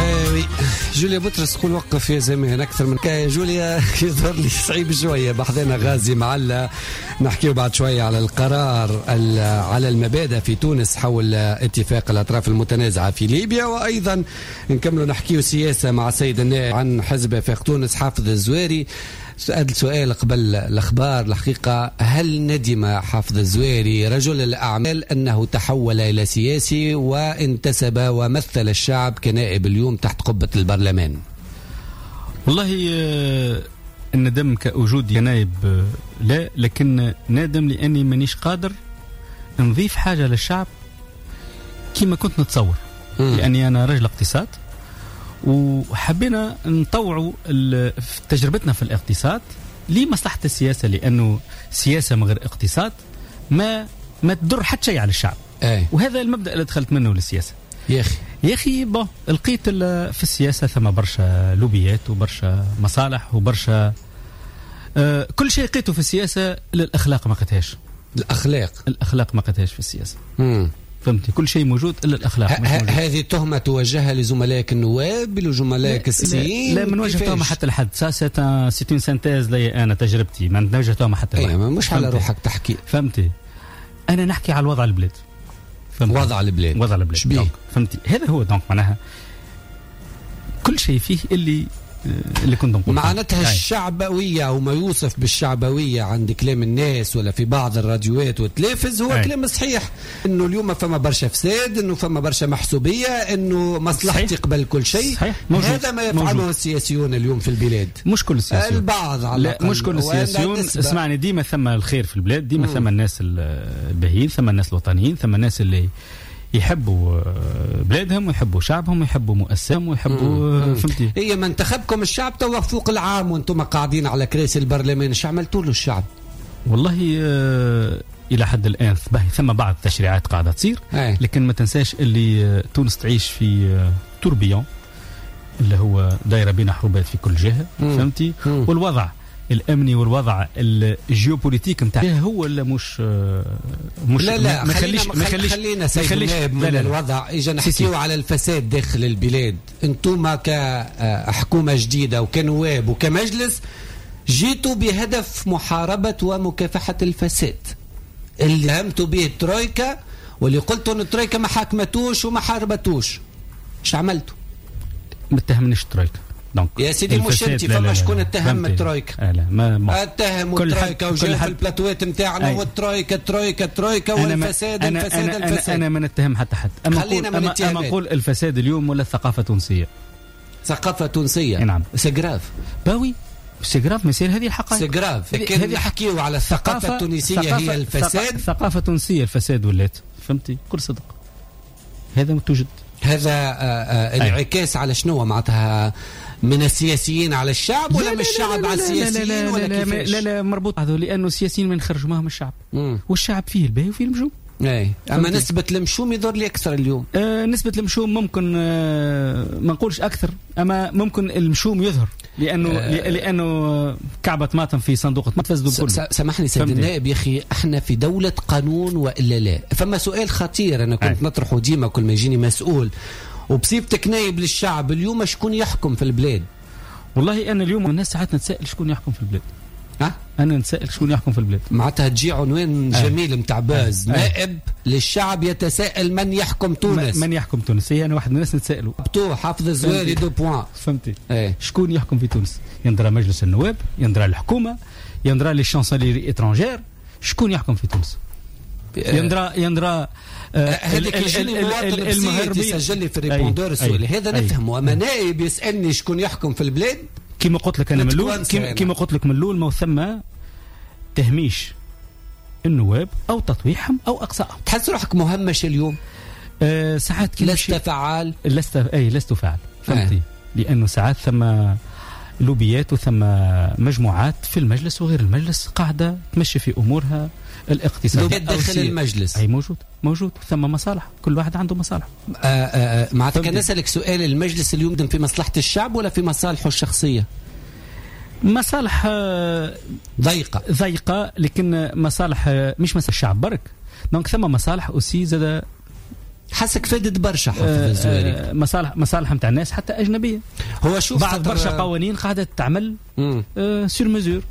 oui جوليا بطرس تقول وقف يا زمان اكثر من كا جوليا، يظهر لي صعيب شويه. بحذنا غازي معلة، نحكيو بعد شوية على القرار على المبادئ في تونس حول اتفاق الاطراف المتنازعه في ليبيا، وايضا نكملوا نحكيو سياسة مع السيد النائب عن حزب آفاق تونس حافظ الزواري. سأل سؤال قبل الأخبار الحقيقة، هل ندم حافظ الزواري رجل الأعمال أنه تحول إلى سياسي وانتسب ومثل الشعب كنائب اليوم تحت قبة البرلمان؟ والله الندم كوجود كنائب لا، لكن نادم لأني مانيش قادر نضيف حاجة للشعب كما كنت نتصور. لأني أنا رجل اقتصاد وحبينا نطوعوا تجربتنا في الاقتصاد لمصلحة السياسة، لأنه سياسة من غير اقتصاد ما تضر حتى شيء على الشعب. أي. وهذا المبدأ اللي دخلت منه للسياسة. يا أخي bon لقيت في السياسة ثم برشا لوبيات وبرشا مصالح وبرشا كل شيء لقيته في السياسة. الأخلاق ما لقيتهاش. الأخلاق ما لقيتهاش في السياسة. فهمتي؟ كل شيء موجود الا الاخلاق. هذه تهمه توجهها لزملائك النواب، لزملائك السياسيين؟ لا، من وجه تهمه حتى لحد. ça c'est une synthèse لي انا تجربتي، ما نوجه تهمه حتى لحد. مش على روحك تحكي. فهمتي؟ انا نحكي على الوضع البلاد. وضع البلاد. وضع البلاد. فهمتي؟ هذا هو donc معناها كل شيء فيه اللي كنت نقول معناتها الشعبوية وما يوصف بالشعبوية عند كلام الناس ولا في بعض الراديوات والتلفز هو كلام صحيح، انه اليوم فما برشا فساد، انه فما برشا محسوبية، انه مصلحتي قبل كل شيء. هذا ما يفعله موجود. السياسيون اليوم في البلاد مش كل السياسيون، البعض على لا مش كل السياسيون. اسمعني، ديما ثم الخير في البلاد، ديما ثم الناس الباهيين، ثم الناس الوطنيين، ثم الناس اللي يحبوا بلادهم ويحبوا شعبهم ويحبوا مؤسسهم ويحبوا. فهمتي؟ هي ما انتخبكم الشعب توا فوق العام وانتم قاعدين على كراسي البرلمان، ايش عملتوا له الشعب؟ والله الى حد الان ثم بعض التشريعات قاعدة تصير، لكن ما تنساش اللي تونس تعيش في tourbillon اللي هو دايرة بين حروبات في كل جهة. فهمتي؟ والوضع الامني والوضع ال géopolitique نتاعها هو اللي مش لا لا ما خليش خلينا سيد النائب من الوضع. اجا نحكيو على الفساد داخل البلاد. انتم كحكومة جديدة وكنواب وكمجلس جيتوا بهدف محاربة ومكافحه الفساد اللي همتوا به الترويكا، واللي قلتوا ان الترويكا ما حاكمتوش وما حاربتوش. ايش عملتوا؟ ما اتهمنيش الترويكا. donc يا سيدي مش انت، فما شكون اتهم الترويكا؟ اتهموا الترويكا وجاو في البلاتوات نتاعنا والترويكا الترويكا الترويكا والفساد الفساد الفساد. انا ما نتهم حتى حد. اما نقول الفساد اليوم ولا الثقافة التونسية. ثقافة تونسية. نعم. c'est grave. bah oui c'est grave، ما يصير هذه الحقائق. c'est grave. لكن نحكيو على الثقافة التونسية هي الفساد. الثقافة التونسية الفساد ولات. فهمتي؟ كل صدق هذا توجد. هذا انعكاس على شنو معناتها؟ من السياسيين على الشعب ولا من الشعب على السياسيين ولا كيفاش؟ لا لا مربوط هذا، لانه السياسيين ما نخرجوا معهم الشعب. والشعب فيه الباهي وفيه المشوم. اي اما نسبة المشوم يضر لي اكثر اليوم. نسبة المشوم ممكن ما نقولش اكثر، اما ممكن المشوم يظهر لانه كعبة طماطم في صندوق طماطم تفسدوا كله. سامحني سيد النائب يا اخي، احنا في دولة قانون والا لا؟ فما سؤال خطير انا كنت نطرحه ديما كل ما يجيني مسؤول، وبصيبتك نايب للشعب اليوم شكون يحكم في البلاد؟ والله انا اليوم الناس ساعات نتسائل شكون يحكم في البلاد. انا نتسائل شكون يحكم في البلاد. معناتها تجي عنوان جميل نتاع buzz، نائب للشعب يتساءل من يحكم تونس. من يحكم تونس؟ هي انا واحد من الناس نتسائلوا. بتو حافظ الزواري deux points. فهمتي؟ شكون يحكم في تونس؟ يندرى مجلس النواب، يندرى الحكومة، يندرى les chancelleries étrangères، شكون يحكم في تونس؟ يندرى هذاك يجيني مواطن يسجل لي في ال répondeur السؤال هذا نفهمه، اما نائب يسالني شكون يحكم في البلاد؟ كما قلت لك انا من الاول، كما قلت لك من الاول، ما ثم تهميش النواب او تطويحهم او اقصائهم. تحس روحك مهمش اليوم؟ ساعات لست فعال. لست فعال. فهمتي؟ لانه ساعات ثم لوبيات وثم مجموعات في المجلس وغير المجلس قاعدة تمشي في امورها الاقتصادية داخل المجلس. اي موجود ثم مصالح، كل واحد عنده مصالح. معناتها كان نسالك سؤال، المجلس اليوم في مصلحة الشعب ولا في مصالحه الشخصية؟ مصالح ضيقه، لكن مصالح مش مصالح الشعب برك. donc ثم مصالح aussi زاد حسك فادت برشا حافظ الزواري. مصالح نتاع الناس حتى اجنبية. هو شوف بعض برشا قوانين قاعدة تعمل sur mesure،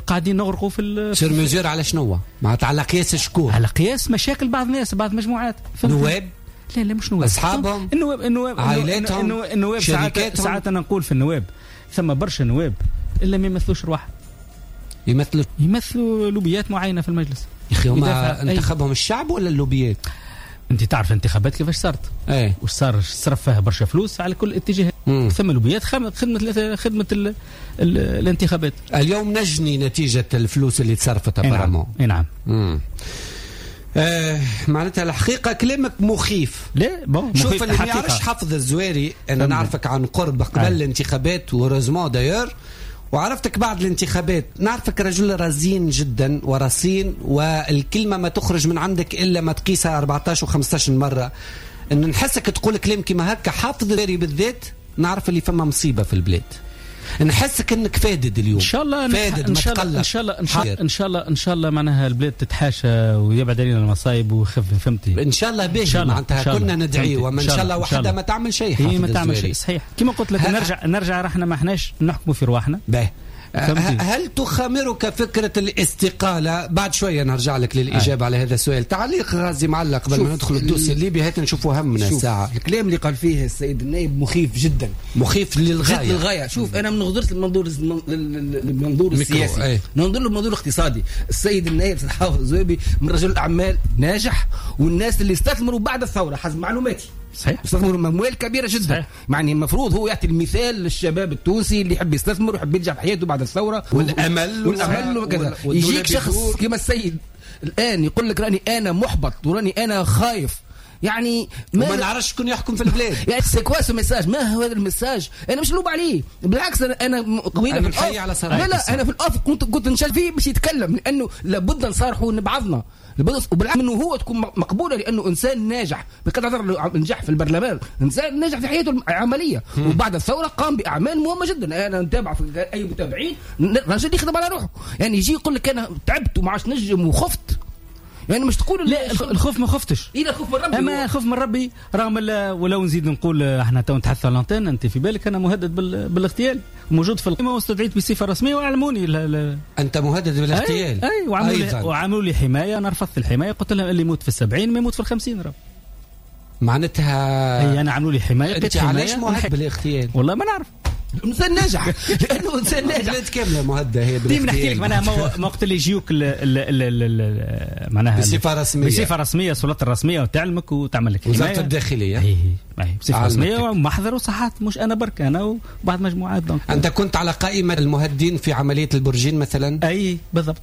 قاعدين نغرقوا في sur mesure. على شنو؟ معناتها على قياس شكون؟ على قياس مشاكل بعض الناس، بعض المجموعات. نواب؟ لا مش نواب، اصحابهم، النواب، عائلاتهم، النواب. ساعات انا نقول في النواب ثم برشا نواب الا ما يمثلوش رواحهم، يمثلوا لوبيات معينة في المجلس. يا اخي هما انتخبهم الشعب ولا اللوبيات؟ انت تعرف الانتخابات كيفاش صارت، وش صار، صرف فيها برشا فلوس على كل اتجاه. ثم لوبيات خدمة الانتخابات. اليوم نجني نتيجة الفلوس اللي تصرفت apparemment. اي نعم. معناتها الحقيقة كلامك مخيف. لا bon، شوف اللي ما يعرفش حافظ الزواري، انا نعرفك عن قرب قبل الانتخابات و heureusement d'ailleurs، وعرفتك بعد الانتخابات، نعرفك رجل رزين جدا ورصين، والكلمة ما تخرج من عندك إلا ما تقيسها 14 و15 مرة. إن نحسك تقول كلام كما هكا حافظ الزواري بالذات، نعرف اللي فما مصيبة في البلاد. نحسك انك فادد اليوم. ان شاء الله فادد، ان شاء الله ان شاء الله ان شاء الله ان شاء الله معناها البلاد تتحاشى ويبعد علينا المصايب ويخف، فهمتي؟ ان شاء الله باهي، معناتها كنا ندعي، وما ان شاء الله وحده ما تعمل شيء. هي ما تعمل شيء، صحيح. كما قلت لك نرجع رحنا ما احناش نحكموا في رواحنا. باهي. هل تخامرك فكرة الاستقالة؟ بعد شوية نرجع لك للإجابة على هذا السؤال. تعليق غازي معلق قبل ما ندخل ال dossier الليبي، هات نشوفوا همنا الساعة. الكلام اللي قال فيه السيد النائب مخيف جدا، مخيف للغاية، للغاية. شوف أنا من نظرت المنظور السياسي، ننظر له المنظور الاقتصادي. السيد النائب سيد حافظ الزويبي من رجل الأعمال ناجح، والناس اللي استثمروا بعد الثورة حسب معلوماتي صحيح استثمروا اموال كبيرة جدا. صحيح. يعني المفروض هو يعطي المثال للشباب التونسي اللي يحب يستثمر ويحب ينجح في حياته بعد الثورة والامل وكذا. يجيك شخص كما السيد الان يقول لك راني انا محبط وراني انا خايف، يعني ما نعرفش شكون يحكم في البلاد. يعني c'est quoi ce message؟ ما هو هذا ال message؟ انا مش لوب عليه، بالعكس انا قويله في ال off. لا انا في ال off كنت نشال فيه باش يتكلم، لانه لابد نصارحوا بعضنا، وبالعكس انه هو تكون مقبولة لانه انسان ناجح بقدر نظر نجح في البرلمان، انسان ناجح في حياته العملية، وبعد الثورة قام باعمال مهمة جدا. انا نتابع في اي متابعين، رجل يخدم على روحه. يعني يجي يقول لك انا تعبت وما عادش نجم وخفت، يعني مش تقول لا الخوف ما خفتش، إيه الخوف من ربي، اما الخوف من ربي رغم ولو نزيد نقول احنا تو نتحدث على l'antenne، انت في بالك انا مهدد بالاغتيال، موجود في القمه واستدعيت بصفة رسمية واعلموني. انت مهدد بالاغتيال؟ اي وعملوا لي حماية، انا رفضت الحماية، قلت لهم اللي يموت في 70 ما يموت في 50. راه معناتها اي انا عملوا لي حماية. انت علاش مهدد بالاغتيال؟ والله ما نعرف. انسان ناجح، لانه انسان ناجح. البلاد كاملة مهددة هي. ديما نحكي لك معناها ما وقت اللي يجيوك معناها بصفة رسمية، بصفة رسمية، السلطات الرسمية وتعلمك وتعمل لك وزارة الداخلية. اي بصفة رسمية ومحضر وصحات، مش انا برك، انا وبعض مجموعات. donc انت كنت على قائمة المهددين في عملية البرجين مثلا؟ اي بالضبط.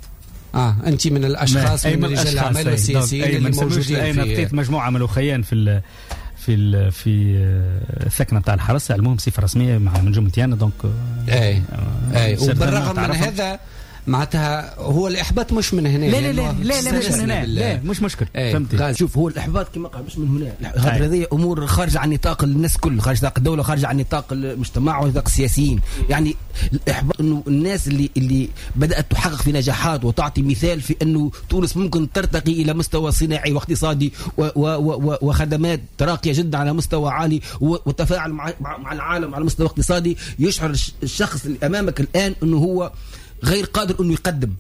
انت من الاشخاص من رجال الاعمال والسياسيين اللي موجودين في. انا مجموعة من الاخيان في في في الثكنه نتاع الحرس، علموهم بصفة رسمية مع من جملتي donc. اي وبالرغم من هذا معناتها هو الاحباط مش من هنا. لا لا لا لا, لا مش من هنا، لا مش مشكل. فهمتي؟ شوف هو الاحباط كما قال مش من هنا، خاطر هذه امور خارجه عن نطاق الناس كل، خارج نطاق الدولة، خارجه عن نطاق المجتمع ونطاق السياسيين. يعني الاحباط انه الناس اللي بدات تحقق في نجاحات وتعطي مثال في انه تونس ممكن ترتقي الى مستوى صناعي واقتصادي وخدمات راقية جدا على مستوى عالي وتفاعل مع العالم على مستوى اقتصادي، يشعر الشخص اللي امامك الان انه هو غير قادر انه يقدم،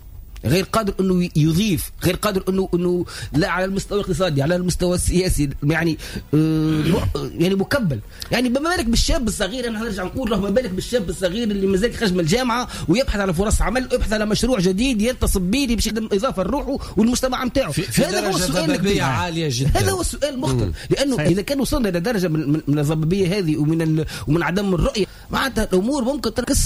غير قادر انه يضيف، غير قادر انه لا على المستوى الاقتصادي، على المستوى السياسي، يعني يعني مكبل. يعني بما بالك بالشاب الصغير، انا نرجع نقول له ما بالك بالشاب الصغير اللي مازال خرج من الجامعة ويبحث على فرص عمل ويبحث على مشروع جديد ينتصب به باش يخدم اضافه لروحه والمجتمع نتاعو. هذا هو السؤال الكبير، عالية جدا. هذا هو السؤال المخطر، لانه صحيح. اذا كان وصلنا الى درجه من الضبابيه هذه ومن عدم الرؤية، معناتها الامور ممكن تنعكس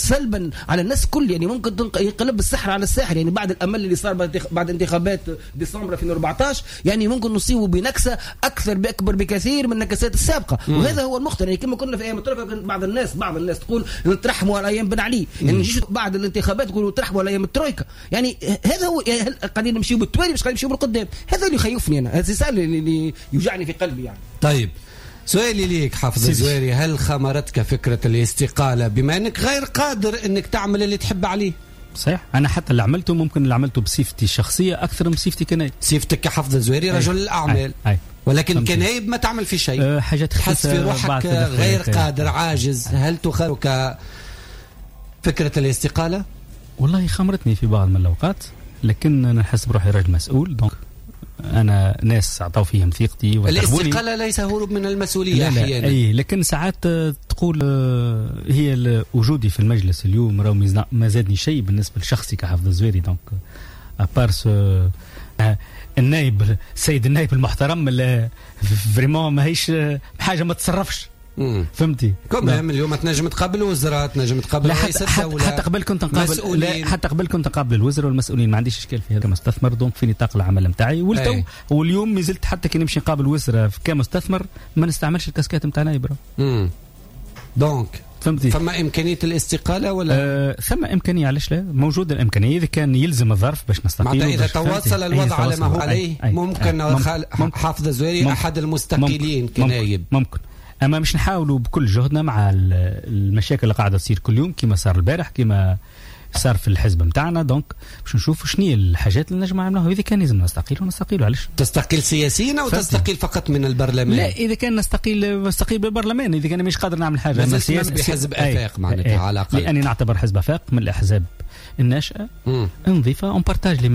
سلبا على الناس كل. يعني ممكن ينقلب السحر على الساحر. يعني بعد الامل اللي صار بعد انتخابات ديسمبر 2014، يعني ممكن نصيبه بنكسه اكثر باكبر بكثير من النكسات السابقة. وهذا هو المخطر. يعني كما كنا في ايام الترويكا، بعض الناس تقول نترحموا على ايام بن علي، يعني نجيش بعد الانتخابات تقولوا ترحموا على ايام الترويكا. يعني هذا هو، يعني قاعدين نمشيو بالتوالي مش قاعدين نمشيو بالقدام. هذا اللي يخوفني انا، هذا السؤال اللي يوجعني في قلبي يعني. طيب سؤالي ليك حافظ الزواري، هل خمرتك فكرة الاستقالة بما انك غير قادر انك تعمل اللي تحب عليه؟ صحيح، انا حتى اللي عملته ممكن اللي عملته بصفتي الشخصية اكثر من صفتي كنائب. صفتك كحافظ الزواري رجل الاعمال. أي. ولكن كنايب ما تعمل في شيء. حاجات تحس في روحك غير قادر، عاجز. هل تخالك فكرة الاستقالة؟ والله خمرتني في بعض من الأوقات، لكن أنا نحس بروحي رجل مسؤول، donc أنا ناس عطاو فيهم ثقتي. الاستقالة ليس هروب من المسؤولية أحيانا. أي، لكن ساعات تقول هي وجودي في المجلس اليوم راهو ما زادني شيء بالنسبة لشخصي كحافظ الزواري. donc à part النائب، السيد النائب المحترم اللي vraiment ماهيش حاجة ما تصرفش. فهمتي؟ quand même اليوم تنجم تقابل وزراء، تنجم تقابل رئيس الدولة. حتى قبل كنت نقابل، لا حتى قبل كنت نقابل الوزراء والمسؤولين، ما عنديش اشكال في هذا كمستثمر، donc في نطاق العمل نتاعي. والتو واليوم مازلت حتى كي نمشي نقابل وزراء كمستثمر ما نستعملش الكاسكات نتاع نايب. donc فهمتي؟ فما امكانية الاستقالة ولا؟ ثم امكانية، علاش لا؟ موجودة الامكانية اذا كان يلزم الظرف باش نستقيل. معناتها اذا تواصل الوضع على ما هو عليه ممكن حافظ الزواري احد المستقيلين كنايب. ممكن، اما مش نحاولوا بكل جهدنا مع المشاكل اللي قاعدة تصير كل يوم، كما صار البارح، كما صار في الحزب نتاعنا. donc باش نشوفوا شنو هي الحاجات اللي نجم نعملوها. اذا كان لازم نستقيل ونستقيل. علاش تستقيل سياسيا او تستقيل فقط من البرلمان؟ لا، اذا كان نستقيل بالبرلمان، اذا كان مش قادر نعمل حاجة. اما سياسي بحزب افاق معناتها على الاقل، لاني نعتبر حزب افاق من الاحزاب الناشئة نظيفة، on partage les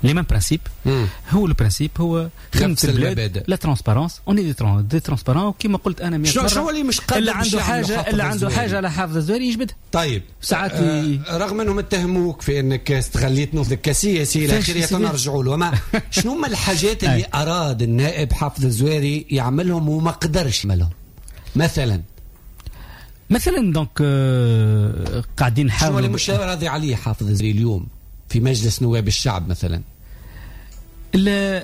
mêmes principes. هو ال principe هو خدمة البلاد، la transparence، on est des transparents. كيما قلت انا 100 مرة، شنو اللي مش قادر اللي عنده حاجة، اللي عنده حاجة على حافظ الزواري يجبدها. طيب ساعات رغم انهم اتهموك في انك استغليت نفسك كسياسي الى اخره، نرجعوا له. ما شنو هما الحاجات اللي اراد النائب حافظ الزواري يعملهم وما قدرش يعملهم؟ مثلا donc قاعدين نحاولوا. شنو اللي مش راضي عليه حافظ الزواري اليوم في مجلس نواب الشعب مثلا؟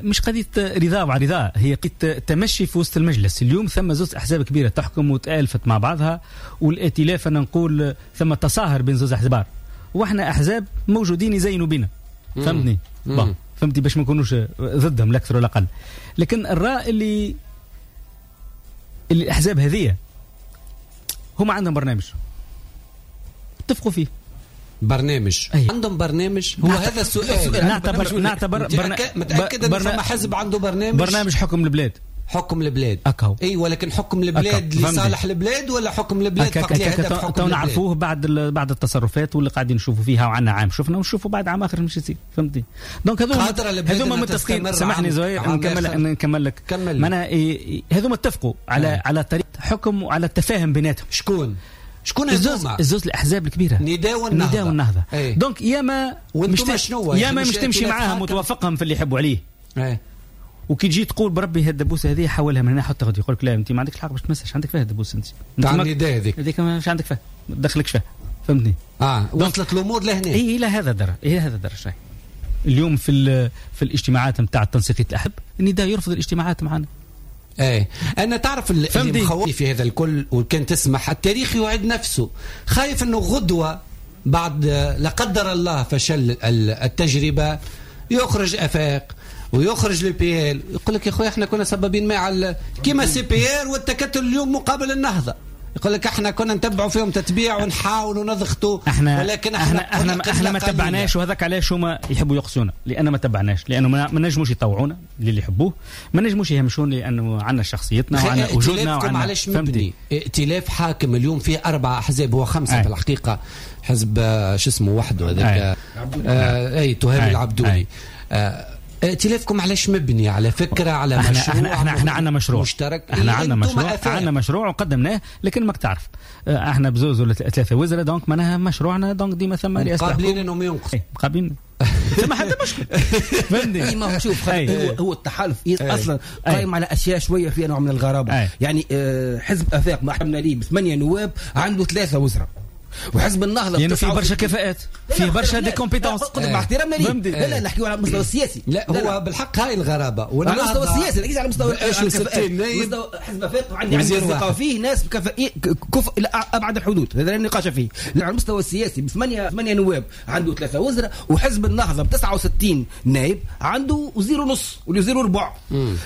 مش قضية رضا وعلى رضا، هي قضية تمشي في وسط المجلس. اليوم ثم زوج أحزاب كبيرة تحكم وتآلفت مع بعضها، والائتلاف أنا نقول ثم تصاهر بين زوج أحزاب، وإحنا أحزاب موجودين يزينوا بنا. فهمتني؟ فهمتي باش ما نكونوش ضدهم لا أكثر ولا أقل. لكن الرأي اللي الأحزاب هذه هم عندهم برنامج اتفقوا فيه. برنامج. أيه. عندهم برنامج؟ هو هذا السؤال. نعتبر متأكد أن فما حزب عنده برنامج؟ برنامج حكم البلاد. حكم البلاد. أكهو. اي، ولكن حكم البلاد لصالح البلاد ولا حكم البلاد فقط لهدف حكم البلاد؟ نعرفوه بعد التصرفات واللي قاعدين نشوفوا فيها، وعندنا عام شفنا ونشوفوا بعد عام اخر مش يصير. فهمتني؟ donc هذوما متفقين. سامحني زهير نكمل لك. معناها هذوما اتفقوا على طريقه حكم وعلى التفاهم بيناتهم. شكون هذوما؟ الزوز الاحزاب الكبيرة، نداء والنهضه. ايه. donc ياما مش تمشي معاهم وتوافقهم في اللي يحبوا عليه. ايه. وكي تجي تقول بربي هالدبوسه هذه حولها من هنا حطها غادي، يقول لك لا انت ما عندكش الحق باش تمسش، عندك فيها الدبوسه انت تاع النداء هذيك مش عندك فيها، ما تدخلكش فيها. فهمتني؟ وصلت الامور لهنا. اي الى هذا الدرجة، الى هذا الدرجة. اليوم في الاجتماعات نتاع تنسيقيه الاحزاب النداء يرفض الاجتماعات معنا. ايه، انا تعرف اللي مخوفني في هذا الكل، وكان تسمح التاريخ يعيد نفسه. خايف انه غدوه بعد لا قدر الله فشل التجربة يخرج افاق ويخرج l'UPL، يقول لك يا خويا احنا كنا سبابين مع كيما CPR والتكتل اليوم مقابل النهضة، يقول لك احنا كنا نتبعوا فيهم تتبيع ونحاولوا نضغطوا، ولكن احنا ما تبعناش. وهذاك علاش هما يحبوا يقصونا، لان ما تبعناش، لانه ما نجموش يطوعونا للي يحبوه، ما نجموش يهمشون، لانه عندنا شخصيتنا وعندنا وجودنا وعندنا. علاش مبني ائتلاف حاكم اليوم فيه 4 احزاب، هو 5 في الحقيقة، حزب شو اسمه وحده هذاك اي تهامي العبدولي. ائتلافكم علاش مبني؟ على فكرة، على مشروع؟ احنا عندنا مشروع مشترك. احنا عندنا مشروع، عندنا مشروع وقدمناه، لكن ماك تعرف احنا بزوز ولا 3 وزراء، donc معناها مشروعنا، donc ديما ثم رئاسة قابلين انهم ينقصوا، قابلين ثم حتى مشكل. فهمتني؟ ما هو شوف، هو التحالف اصلا قائم على اشياء شوية فيها نوع من الغرابة. يعني حزب افاق ما حملنا ليه ب8 نواب عنده 3 وزراء، وحزب النهضة يعني فيه برشا كفاءات، فيه برشا des compétences. مع احترامنا ليه، لا لا نحكيو على المستوى السياسي. لا هو بالحق هاي الغرابة، على المستوى السياسي نحكي على مستوى حزب افاق عندي ثقة فيه، ناس كفء الى ابعد الحدود، هذا لا نقاش فيه. على المستوى السياسي ب8 نواب عنده 3 وزراء، وحزب النهضة ب 69 نائب عنده وزير ونص ولا وزير وربع.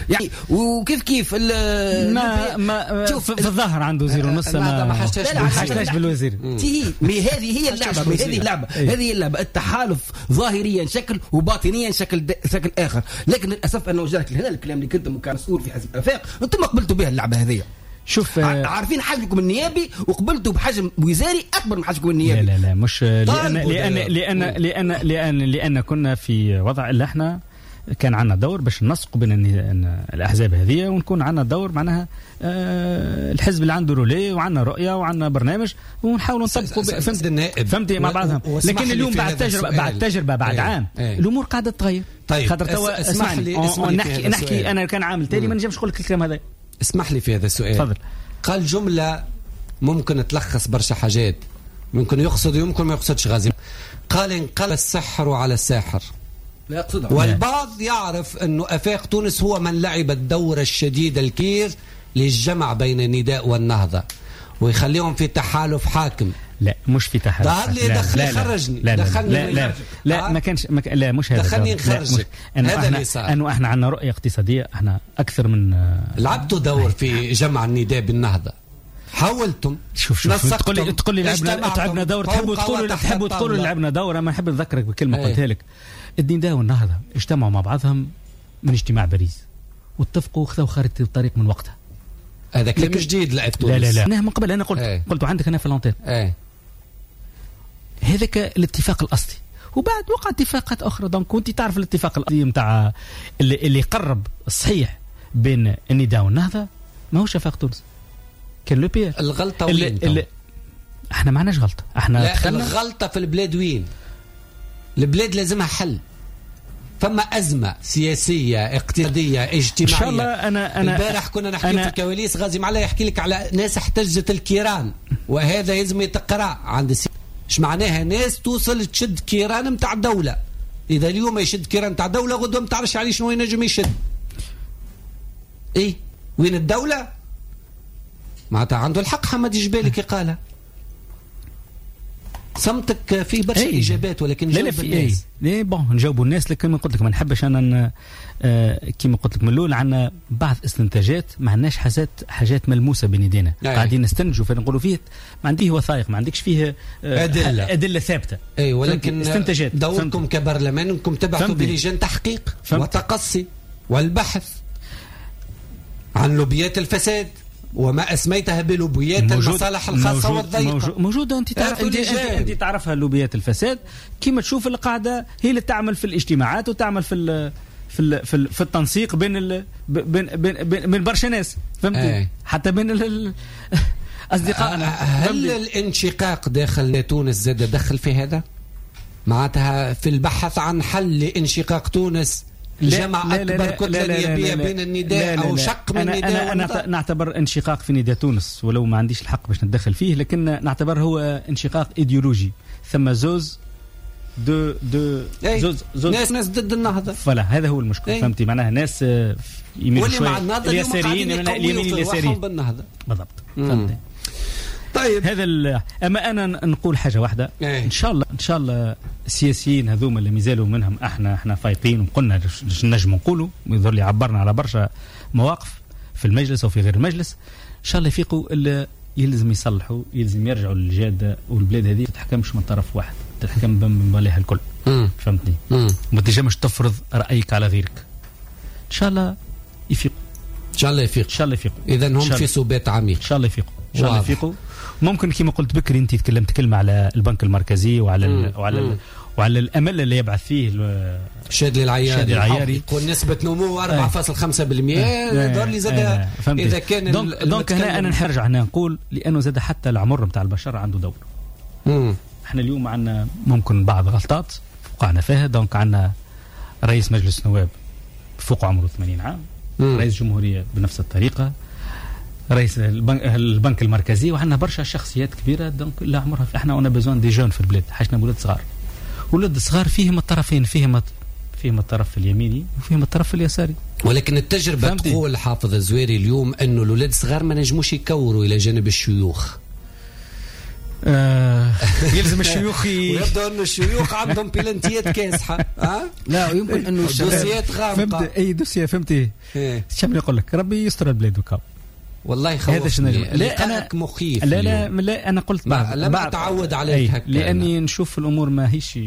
يعني وكيف كيف ما شوف في الظاهر عنده وزير ونص، ما حاجتش بالوزير. اي mais هذه هي اللعبة، هذه اللعبة، هذه هي اللعبة. التحالف ظاهريا شكل وباطنيا شكل اخر، لكن للاسف انا وجهت هنا الكلام اللي كنتم كمسؤول في حزب الافاق انتم قبلتوا بها اللعبة هذه. شوف، عارفين حجمكم النيابي وقبلتوا بحجم وزاري اكبر من حجمكم النيابي. لا لا لا، مش لان لان لان لان لان لان كنا في وضع اللي احنا كان عندنا دور باش ننسق بين الاحزاب هذه، ونكون عندنا دور معناها الحزب اللي عنده relais وعندنا رؤية وعندنا برنامج ونحاولوا نطبقوا. فهمتي مع بعضهم. لكن اليوم بعد تجربه بعد عام الامور قاعدة تتغير. طيب خاطر توا اسمح لي نحكي انا كان عامل تالي ما نجمش نقول لك الكلام هذا. اسمح لي في هذا السؤال. تفضل. قال جملة ممكن تلخص برشا حاجات، ممكن يقصد ويمكن ما يقصدش غازي. قال انقلب السحر على الساحر. لا يقصدها. والبعض يعرف أنه أفاق تونس هو من لعب الدور الشديد الكبير للجمع بين النداء والنهضة ويخليهم في تحالف حاكم. لا مش في تحالف. ظهر لي دخلني خرجني. لا لا لا لا ما كانش لا مش هذا. دخلني نخرجك. هذا اللي صار. انه احنا عندنا رؤية اقتصادية، احنا اكثر من لعبتوا دور في جمع النداء بالنهضه. حاولتم. شوف تقول لي لعبنا دور، تحبوا تقولوا لعبنا دور. انا نحب نذكرك بكلمه قلتها لك. النداء والنهضه اجتمعوا مع بعضهم من اجتماع باريس واتفقوا وخذوا خارطة الطريق من وقتها. هذا كلام جديد لعب تونس. لا لا لا، من قبل انا قلت قلت عندك انا في l'antenne. هذاك الاتفاق الاصلي، وبعد وقع اتفاقات اخرى. donc كنت تعرف الاتفاق الاصلي نتاع اللي قرب الصحيح بين النداء والنهضه ماهوش افاق تونس، كان l'UPR. الغلطة وين؟ احنا ما عندناش غلطه، احنا الغلطة في البلاد وين؟ البلاد لازمها حل. فما أزمة سياسية اقتصادية اجتماعية. إن شاء الله. أنا البارح كنا نحكي في الكواليس، غازي معلا يحكي لك على ناس احتجت الكيران، وهذا لازم يتقرأ عند ايش معناها ناس توصل تشد كيران متاع الدولة. إذا اليوم يشد كيران متاع الدولة، غدوة ما تعرفش عليه شنو ينجم يشد. إيه وين الدولة؟ معناتها عنده الحق حمد جبالي كي قالها. صمتك فيه برشا اجابات، ولكن لا لا في الناس. ايه bon نجاوبوا الناس، لكن قلت لك ما نحبش انا كيما قلت لك من الاول عندنا بعض استنتاجات، ما عندناش حاجات ملموسة بين يدينا. قاعدين نستنتجوا فنقولوا فيه ما عنديه وثائق، ما عندكش فيه ادلة ثابتة. اي ولكن استنتاجات. دوركم كبرلمان انكم تبعثوا بلجان تحقيق وتقصي والبحث عن لوبيات الفساد وما اسميتها بلوبيات المصالح الخاصة والضيقه. موجودة، انت تعرف انت تعرفها لوبيات الفساد كيما تشوف القاعدة هي اللي تعمل في الاجتماعات وتعمل في في في, في التنسيق بين بين بين برشا ناس، فهمتي؟ حتى بين اصدقائنا. هل الانشقاق داخل تونس زاد دخل في هذا؟ معناتها في البحث عن حل لانشقاق تونس، جمع أكبر كتلة نيابية بين النداء أو شق من النداء. أنا نعتبر انشقاق في نداء تونس، ولو ما عنديش الحق باش نتدخل فيه، لكن نعتبر هو انشقاق إيديولوجي. ثم زوز دو دو زوز زوز ناس ضد النهضة، voilà هذا هو المشكل. فهمتي؟ معناها ناس يميلوا شوية اليساريين، اليمين اليساريين بالنهضة بالضبط. فهمتي؟ طيب هذا اما انا نقول حاجة واحدة. ان شاء الله، ان شاء الله السياسيين هذوما اللي مازالوا منهم احنا فايقين وقلنا نجم نقولوا، ويظهر لي عبرنا على برشا مواقف في المجلس وفي غير المجلس. ان شاء الله يفيقوا اللي يلزم يصلحوا، يلزم يرجعوا للجاده، والبلاد هذه ما تتحكمش من طرف واحد، تتحكم بمالها الكل. فهمتني؟ ما تنجمش تفرض رايك على غيرك. ان شاء الله يفيقوا، ان شاء الله يفيقوا، ان شاء الله يفيقوا. اذا هم في سبات عميق. ان شاء الله يفيقوا، ان شاء الله يفيقوا. ممكن كما قلت بكري انت تكلمت كلمة على البنك المركزي وعلى وعلى الامل اللي يبعث فيه شادلي العياري، يقول نسبه نمو 4.5%. دور لي زاد اذا كان donc هنا انا نرجع هنا نقول لانه زاد حتى العمر نتاع البشر عنده دور. احنا اليوم عندنا ممكن بعض غلطات وقعنا فيها. donc عندنا رئيس مجلس النواب فوق عمره 80 عام، رئيس جمهورية بنفس الطريقة، رئيس البنك المركزي، وعندنا برشا شخصيات كبيرة donc لا عمرها. احنا on a besoin des jeunes في البلاد، حاجتنا ولاد صغار. ولاد صغار فيهم الطرفين، فيهم الطرف اليميني وفيهم الطرف اليساري. ولكن التجربة تقول حافظ الزويري اليوم انه الاولاد الصغار ما نجموش يكوروا الى جانب الشيوخ. يلزم الشيوخ ويبدو انه الشيوخ عندهم بلانتيات كاسحه. لا يمكن انه dossier ات غامقه. فهمت اي dossier، فهمتي؟ شنو نقول لك؟ ربي يستر البلاد وكاو. والله خوفني. لا أنا مخيف. لا لا لا، أنا قلت لم أتعود عليك هكذا، لأني نشوف الأمور ما هيش،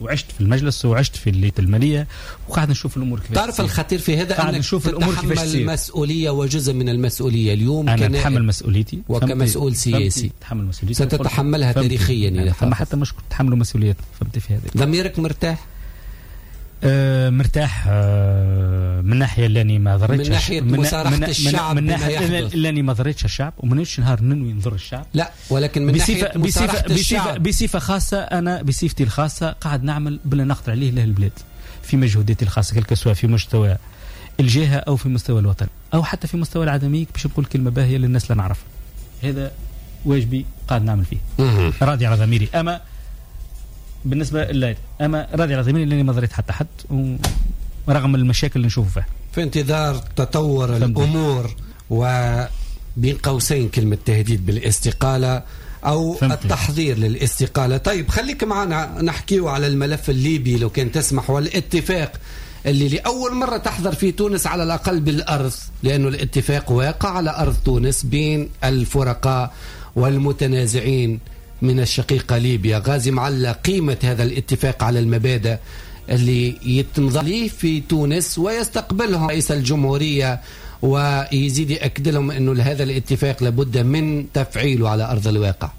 وعشت في المجلس وعشت في الليت المالية وقاعد نشوف الأمور كيفاش. تعرف الخطير في هذا أنك نشوف الأمور كيفاش تتحمل مسؤولية وجزء من المسؤولية اليوم. أنا أتحمل مسؤوليتي وكمسؤول سياسي تحمل مسؤوليتي، ستتحملها تاريخيا. يعني حتى مش تحملوا مسؤوليات. فهمت في هذا. ضميرك مرتاح؟ مرتاح من ناحية لاني ما ضريتش، من ناحية مصارحه الشعب، من ناحية لاني ما ضريتش الشعب ومانيش نهار ننوي نضر الشعب، لا، ولكن من ناحية مصارحه الشعب بصفة خاصة. انا بصفتي الخاصة قاعد نعمل باللي نقدر عليه للبلاد في مجهوداتي الخاصة، كل سواء في مستوى الجهة او في مستوى الوطن او حتى في مستوى العدمي، باش نقول كلمة باهيه للناس اللي نعرفها. هذا واجبي قاعد نعمل فيه، راضي على ضميري. اما بالنسبة لله، اما راضي على ضميري لاني ما ضريت حتى حد، ورغم المشاكل اللي نشوفها فيها. في انتظار تطور الامور، وبين قوسين كلمة تهديد بالاستقاله او التحضير للاستقاله. طيب خليك معنا نحكيو على الملف الليبي لو كان تسمح، والاتفاق اللي لأول مرة تحضر في تونس على الأقل بالأرض، لأنه الاتفاق واقع على أرض تونس بين الفرقاء والمتنازعين من الشقيقة ليبيا. غازي معلا، قيمة هذا الاتفاق على المبادئ اللي يتمضي في تونس ويستقبلهم رئيس الجمهورية ويزيد يأكد لهم أنه هذا الاتفاق لابد من تفعيله على أرض الواقع.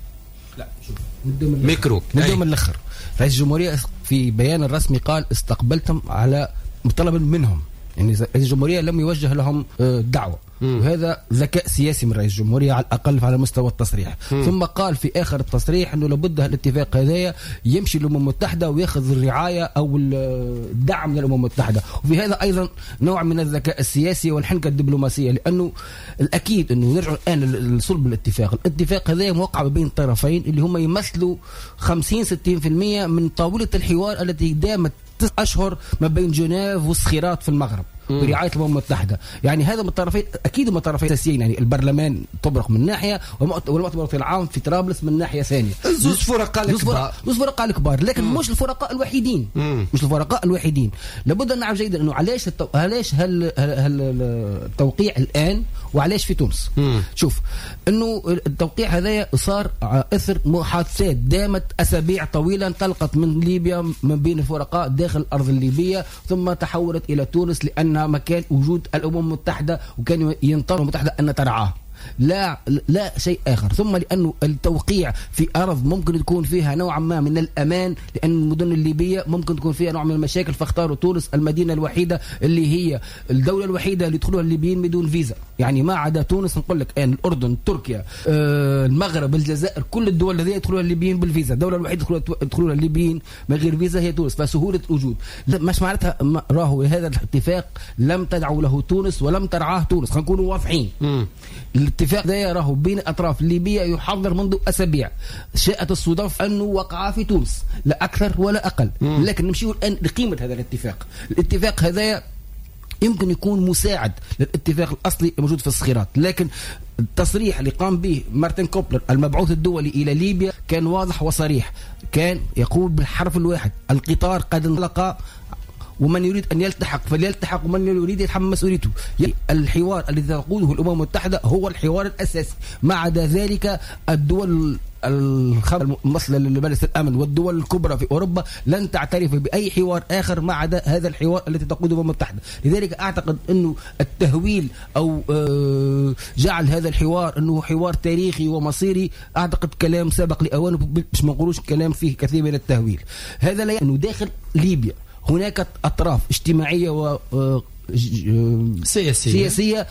لا شوف، ميكرو نبدأ من الآخر. رئيس الجمهورية في بيان الرسمي قال استقبلتم على طلب منهم، يعني رئيس الجمهورية لم يوجه لهم دعوة، وهذا ذكاء سياسي من رئيس الجمهورية على الأقل على مستوى التصريح. ثم قال في آخر التصريح أنه لابد الاتفاق هذايا يمشي للأمم المتحدة ويأخذ الرعاية أو الدعم من الأمم المتحدة، وفي هذا أيضا نوع من الذكاء السياسي والحنكة الدبلوماسية، لأنه الأكيد أنه نرجع الآن لصلب الاتفاق. الاتفاق هذا موقع بين طرفين اللي هم يمثلوا 50-60% من طاولة الحوار التي دامت 9 أشهر ما بين جنيف والصخيرات في المغرب برعاية الأمم المتحدة. يعني هذا من الطرفين، أكيد من الطرفين الأساسيين، يعني البرلمان طبرق من ناحية والمؤتمر العام في طرابلس من ناحية ثانية. زوج فرقاء الكبار، زوج فرقاء الكبار، لكن مش الفرقاء الوحيدين. مش الفرقاء الوحيدين. لابد أن نعرف جيدا أنه علاش علاش هل التوقيع الآن وعلاش في تونس. شوف أنه التوقيع هذا صار أثر محادثات دامت أسابيع طويلة، انطلقت من ليبيا من بين الفرقاء داخل الأرض الليبية، ثم تحولت إلى تونس لأن مكان وجود الأمم المتحدة وكان ينتظر الأمم المتحدة أن ترعاه، لا شيء آخر. ثم لأنه التوقيع في أرض ممكن تكون فيها نوعا ما من الأمان، لأن المدن الليبية ممكن تكون فيها نوع من المشاكل، فاختاروا تونس المدينة الوحيدة اللي هي الدولة الوحيدة اللي يدخلوها الليبيين بدون فيزا. يعني ما عدا تونس نقول لك الآن الأردن، تركيا، المغرب، الجزائر، كل الدول الذين يدخلوها الليبيين بالفيزا، الدولة الوحيدة يدخلوها الليبيين من غير فيزا هي تونس. فسهولة الوجود مش معناتها راهو هذا الاتفاق لم تدعو له تونس ولم ترعاه تونس، خلينا نكونوا واضحين. الاتفاق ده راهو بين أطراف الليبية يحضر منذ أسابيع، شاءت الصدف أنه وقع في تونس لا أكثر ولا أقل. لكن نمشي الآن لقيمة هذا الاتفاق. الاتفاق هذا يمكن يكون مساعد للاتفاق الأصلي الموجود في الصخيرات، لكن التصريح اللي قام به مارتن كوبلر المبعوث الدولي إلى ليبيا كان واضح وصريح، كان يقول بالحرف الواحد القطار قد انطلق، ومن يريد أن يلتحق فليلتحق، ومن يريد يتحمل مسؤوليته. الحوار الذي تقوده الأمم المتحدة هو الحوار الأساسي، ما عدا ذلك الدول المصلة لمجلس الأمن والدول الكبرى في أوروبا لن تعترف بأي حوار آخر ما عدا هذا الحوار الذي تقوده الأمم المتحدة. لذلك أعتقد أنه التهويل أو جعل هذا الحوار أنه حوار تاريخي ومصيري، أعتقد كلام سابق لأوانه، باش ما نقولوش كلام فيه كثير من التهويل. هذا لا يعني أنه داخل ليبيا هناك أطراف اجتماعية و سياسية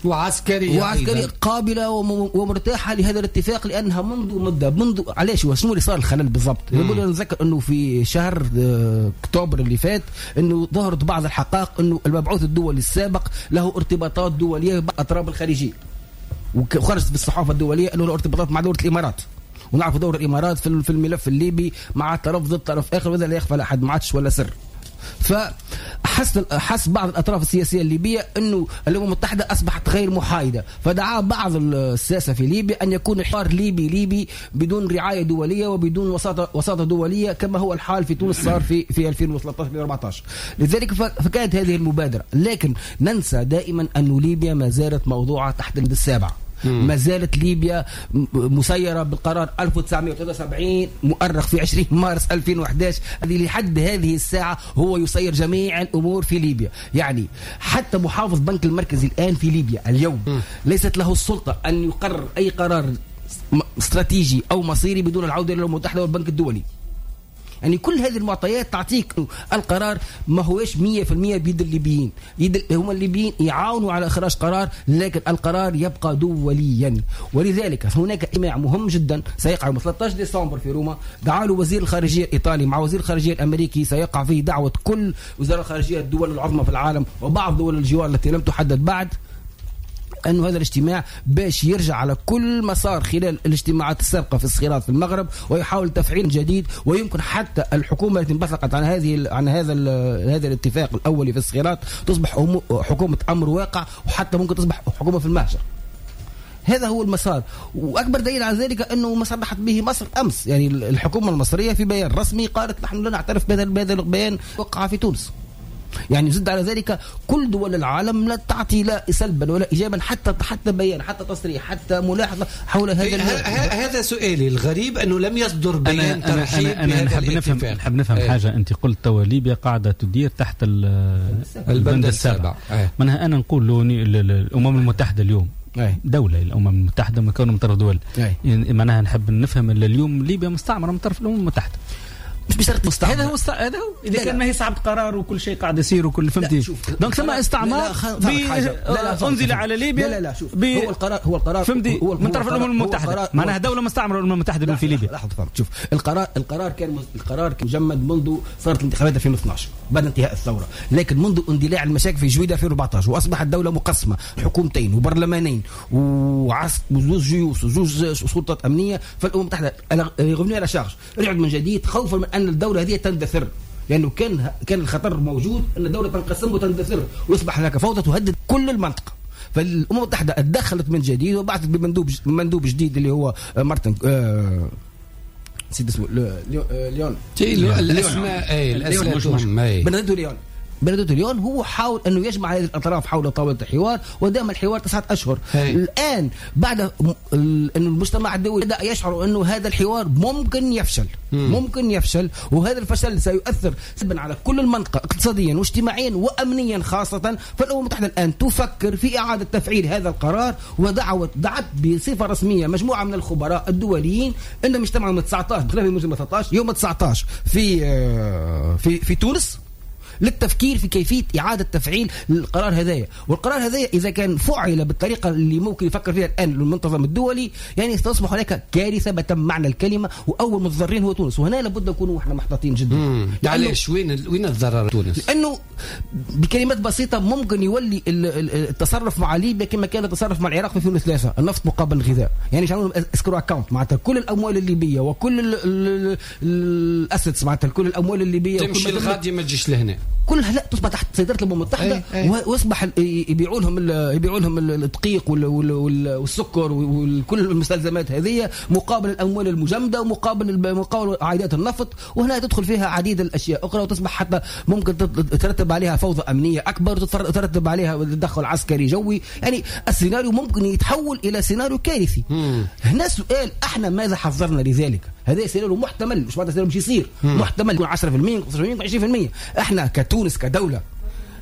وعسكرية قابلة ومرتاحة لهذا الاتفاق، لأنها منذ مدة، منذ علاش وشنو اللي صار الخلل بالضبط؟ نقول نذكر أنه في شهر أكتوبر اللي فات أنه ظهرت بعض الحقائق أنه المبعوث الدولي السابق له ارتباطات دولية بالأطراف الخارجية، وخرجت في الصحافة الدولية أنه له ارتباطات مع دولة الإمارات، ونعرف دور الإمارات في الملف الليبي مع طرف ضد طرف آخر، وهذا لا يخفى على أحد، ما عادش ولا سر. فحس بعض الأطراف السياسية الليبية أنه الأمم المتحدة أصبحت غير محايدة، فدعا بعض الساسة في ليبيا أن يكون حوار ليبي ليبي بدون رعاية دولية وبدون وساطة دولية كما هو الحال في تونس صار في 2013 2014. لذلك فكانت هذه المبادرة. لكن ننسى دائما أن ليبيا ما زالت موضوعة تحت البند السابع، ما زالت ليبيا مسيرة بالقرار 1973 مؤرخ في 20 مارس 2011، الذي لحد هذه الساعة هو يسير جميع الأمور في ليبيا. يعني حتى محافظ بنك المركزي الآن في ليبيا اليوم ليست له السلطة أن يقرر أي قرار استراتيجي أو مصيري بدون العودة إلى الأمم المتحدة والبنك الدولي. يعني كل هذه المعطيات تعطيك القرار ما هوش 100% بيد الليبيين، هم الليبيين يعاونوا على إخراج قرار، لكن القرار يبقى دوليا. ولذلك هناك اجتماع مهم جدا سيقع يوم 13 ديسمبر في روما، دعا له وزير الخارجية الإيطالي مع وزير الخارجية الأمريكي، سيقع فيه دعوة كل وزراء الخارجية الدول العظمى في العالم وبعض دول الجوار التي لم تحدد بعد، أنه هذا الاجتماع باش يرجع على كل مسار خلال الاجتماعات السابقة في الصخيرات في المغرب ويحاول تفعيل جديد. ويمكن حتى الحكومة التي انبثقت عن هذا الاتفاق الأولي في الصخيرات تصبح حكومة أمر واقع، وحتى ممكن تصبح حكومة في المهجر. هذا هو المسار. وأكبر دليل على ذلك أنه ما صرحت به مصر أمس، يعني الحكومة المصرية في بيان رسمي قالت نحن لا نعترف بهذا البيان وقع في تونس. يعني زد على ذلك كل دول العالم لا تعطي لا سلبا ولا إيجابا حتى بيان، حتى تصريح، حتى ملاحظة حول هذا. هذا سؤالي الغريب أنه لم يصدر بيان ترحيب. أنا نحب نفهم حاجة. أنت قلت توا ليبيا قاعدة تدير تحت البند السابع. منها أنا نقول له الأمم المتحدة اليوم دولة، الأمم المتحدة مكونة من طرف دول، يعني معناها نحب نفهم اليوم ليبيا مستعمرة من طرف الأمم المتحدة، مش بشرط مستعمر. هذا هو اذا كان ما هي صعب قرار وكل شيء قاعد يصير وكل فهمتي. donc ثم استعمار انزل على ليبيا. لا شوف، هو القرار فهمتي من طرف الامم المتحدة، معناها دولة مستعمرة الامم المتحدة في ليبيا. لحظة فهمت. شوف القرار كان مجمد منذ صارت الانتخابات 2012 بعد انتهاء الثورة، لكن منذ اندلاع المشاكل في جويده 2014 واصبحت الدولة مقسمة حكومتين وبرلمانين وزوج جيوش وزوج سلطات امنية. فالامم المتحدة revenue à la charge، رجعت من جديد خوفا من ان الدولة هذه تندثر، لأنه كان الخطر موجود أن الدولة تنقسم وتندثر ويصبح هناك فوضى تهدد كل المنطقة. فالأمم المتحدة تدخلت من جديد وبعثت بمندوب جديد اللي هو مارتن نسيت اسمه، ليون، الأسماء بناديتو ليون. بناديتو ليون هو حاول أنه يجمع هذه الأطراف حول طاولة الحوار، ودام الحوار 9 أشهر. الآن بعد أن المجتمع الدولي بدأ يشعر أنه هذا الحوار ممكن يفشل، ممكن يفشل، وهذا الفشل سيؤثر سلبا على كل المنطقة اقتصاديا واجتماعيا وأمنيا خاصة. فالأمم المتحدة الآن تفكر في إعادة تفعيل هذا القرار، ودعت بصفة رسمية مجموعة من الخبراء الدوليين أنهم اجتمعوا يوم 19 بخلاف يوم 13 يوم 19 في في في تونس للتفكير في كيفية إعادة تفعيل القرار هذايا. والقرار هذايا إذا كان فعل بالطريقة اللي ممكن يفكر فيها الآن المنتظم الدولي، يعني ستصبح هناك كارثة بتم معنى الكلمة، وأول متضررين هو تونس. وهنا لابد نكونوا احنا محتاطين جدا. علاش وين الضرر تونس؟ لأنه بكلمات بسيطة ممكن يولي التصرف مع ليبيا كما كان التصرف مع العراق في 2003، النفط مقابل الغذاء. يعني يعملوا escrow account، معناتها كل الأموال الليبية وكل ال assets، معناتها كل الأموال الليبية تمشي الغادي ما تجيش لهنا، كلها لا تصبح تحت سيطرة الأمم المتحدة. ويصبح يبيعوا لهم الدقيق والسكر وكل المستلزمات هذه مقابل الأموال المجمدة ومقابل عائدات النفط. وهنا تدخل فيها عديد الأشياء أخرى، وتصبح حتى ممكن ترتب عليها فوضى أمنية أكبر، وترتب عليها تدخل عسكري جوي. يعني السيناريو ممكن يتحول إلى سيناريو كارثي. هنا سؤال، احنا ماذا حذرنا لذلك؟ هذا سيناريو محتمل، مش معناتها سيناريو مش يصير، محتمل يكون 10% 15% 20%. احنا كتونس كدولة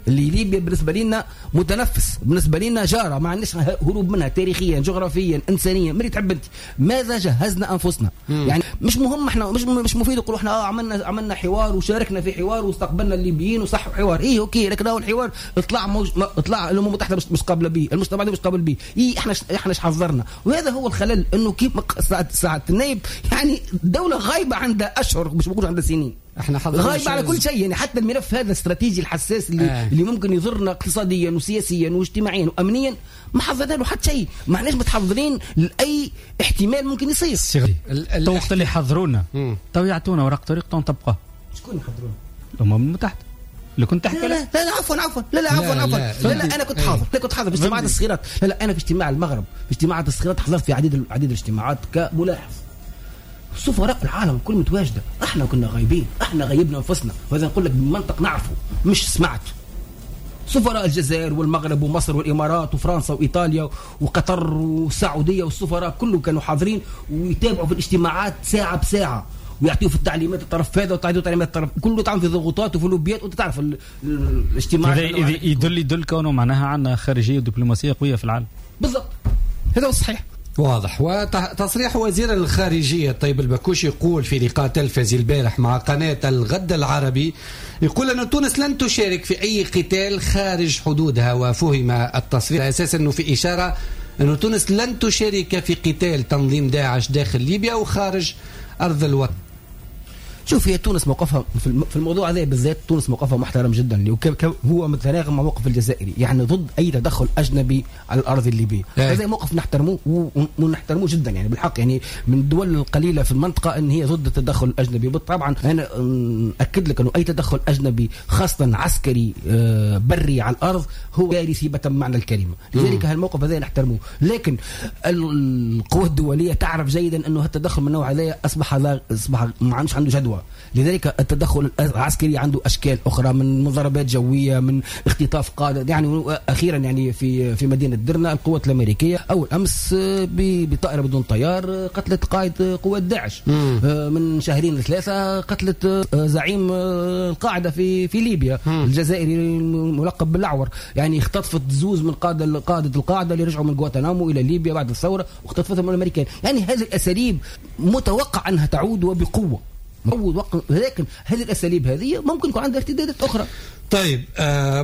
اللي ليبيا بالنسبة لنا متنفس، بالنسبة لنا جارة، ما عندناش هروب منها تاريخيا جغرافيا إنسانيا، مري تحب انت. ماذا جهزنا أنفسنا؟ يعني مش مهم، احنا مش مفيد نقولوا احنا عملنا حوار وشاركنا في حوار واستقبلنا الليبيين وصح حوار، ايه OK، لكن هو الحوار طلع الأمم المتحدة مش قابلة به، المجتمع مش قابل به، ايه احنا ايش حذرنا؟ وهذا هو الخلل، انه كيف ساعة النايب يعني دولة غايبة عندها أشهر، مش بقول عندها سنين، احنا غايب على كل شيء. يعني حتى الملف هذا الاستراتيجي الحساس اللي ممكن يضرنا اقتصاديا وسياسيا واجتماعيا وامنيا، ما حضرنا له حتى شيء، ما احناش متحضرين لاي احتمال ممكن يصير. تو وقت اللي حضرونا تو يعطونا ورق طريق تو نطبقه. شكون يحضرونا؟ الامم المتحدة. اللي كنت تحكي. لا لا, لا عفوا لا لا عفوا لا, لا انا كنت حاضر، لا كنت حاضر في اجتماعات الصغيرات. لا لا انا في اجتماع المغرب، في اجتماعات الصغيرات حضرت في عديد الاجتماعات كملاحظ. سفراء العالم كل متواجدة، احنا كنا غايبين، احنا غيبنا انفسنا، وهذا نقول لك بمنطق نعرفه مش سمعت. سفراء الجزائر والمغرب ومصر والامارات وفرنسا وايطاليا وقطر والسعودية والسفراء كله كانوا حاضرين ويتابعوا في الاجتماعات ساعة بساعة، ويعطيوا في التعليمات الطرف هذا وتعطيوا تعليمات الطرف كله، تعمل في ضغوطات وفي لوبيات، وانت تعرف الاجتماع. يدل كونه معناها عندنا خارجية ودبلوماسيه قوية في العالم. بالضبط، هذا هو الصحيح. واضح. وتصريح وزير الخارجية الطيب البكوش يقول في لقاء تلفزي البارح مع قناة الغد العربي، يقول أن تونس لن تشارك في أي قتال خارج حدودها، وفهم التصريح على أساس أنه في إشارة أن تونس لن تشارك في قتال تنظيم داعش داخل ليبيا وخارج أرض الوطن. شوف، هي تونس موقفها في الموضوع هذا بالذات، تونس موقفها محترم جدا، هو متناغم مع موقف الجزائري، يعني ضد اي تدخل اجنبي على الارض الليبية. هذا موقف نحترموه ونحترموه جدا، يعني بالحق، يعني من الدول القليلة في المنطقة ان هي ضد التدخل الاجنبي. طبعا انا اكد لك انه اي تدخل اجنبي خاصة عسكري بري على الارض هو كارثي بتم معنى الكلمة، لذلك هالموقف هذا نحترموه. لكن القوى الدولية تعرف جيدا انه التدخل من النوع هذا اصبح ما عادش عنده جدوى. لذلك التدخل العسكري عنده اشكال اخرى، من مضاربات جوية، من اختطاف قاده. يعني اخيرا يعني في مدينة درنا القوات الامريكية اول امس بطائره بدون طيار قتلت قائد قوات داعش. من شهرين لثلاثة قتلت زعيم القاعدة في ليبيا الجزائري الملقب بالاعور. يعني اختطفت زوز من قاده القاعدة اللي رجعوا من غوانتنامو الى ليبيا بعد الثورة، واختطفتهم الامريكان. يعني هذه الاساليب متوقع انها تعود وبقوة، لكن هذه الأساليب هذه ممكن يكون عندها ارتدادات أخرى. طيب،